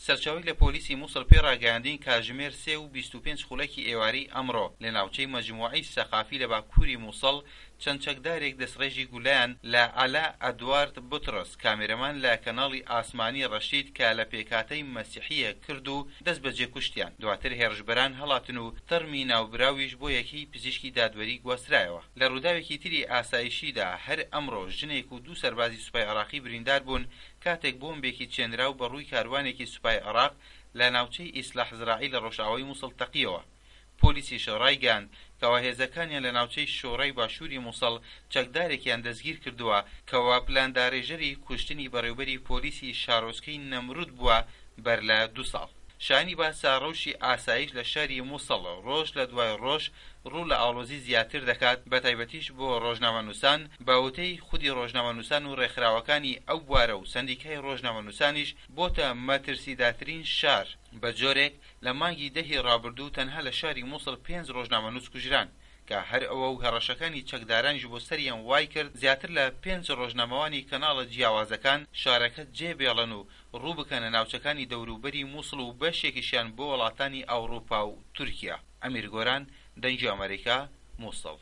سەرچاوەیەک لە پۆلیسی موسڵ پێی ڕاگەیاندین کاتژمێر سێ و 25 خولەکی ئێوارەی ئەمڕۆ لە ناوچەی مەجموعەی سەقافی لە باکووری موسڵ چەند چەکدارێک دەستڕێژی گولەیان لە عەلا ئەدوارد بوتڕس کامێرەمان لە کەناڵی ئاسمانی ڕەشید کە لە پێکهاتەی مەسیحییە کرد و دەستبەجێ کوشتیان. دواتر هێڕشبەران هەڵاتن و تەرمی ناوبراویش بۆ یەکەی پزیشکی دادوەری گواسترایەوە. لە ڕووداوێکی تری ئاسایشیدا هەر ئەمڕۆ ژنێک و دوو سەربازی سوپای عێراقی بریندار بوون کاتێک بۆمبێکی چێنراو بە ڕووی کاروانێکی سوپای عێراق لە ناوچەی ئیسلاح زراعی لە ڕۆژئاوای موسڵ تەقیەوە. پۆلیسیش ڕایگەیاند کەوا هێزەکانیان لە ناوچەی شۆرای باشووری موسڵ چەکدارێکیان دەستگیرکردووە کەوا پلاندارێژەری کوشتنی بەڕێوبەری پۆلیسی شارۆچکەی نەمرود بووە بەر لە دوو ساڵ. شایانی باسە ڕەوشی ئاسایش لە شاری موسڵ ڕۆژ لە دوای ڕۆژ ڕوو لە ئاڵۆزی زیاتر دەکات بەتایبەتیش بۆ ڕۆژنامەنووسان، بە وتەی خودی ڕۆژنامەنووسان و ڕێکخراوەکانی ئەو بوارە و سەندیکای ڕۆژنامەنووسانیش بۆتە مەترسیدارترین شار، بە جۆرێک لە مانگی دە ی ڕابردوو تەنها لە شاری موسڵ پێنج ڕۆژنامەنووس کوژران، کە هەر ئەوە و هەڕەشەکانی چەکدارانیش بۆ سەریان وایکرد زیاتر لە پێنج ڕۆژنامەوانی کەناڵە جیاوازەکان شارەکە جێ بێڵن و ڕوو بکەنە ناوچەکانی دەوروبەری موسڵ و بەشێکیشیان بۆ وڵاتانی ئەوڕوپا و تورکیا. ئەمیر گۆران، دەنگی ئەمەریکا، موسڵ.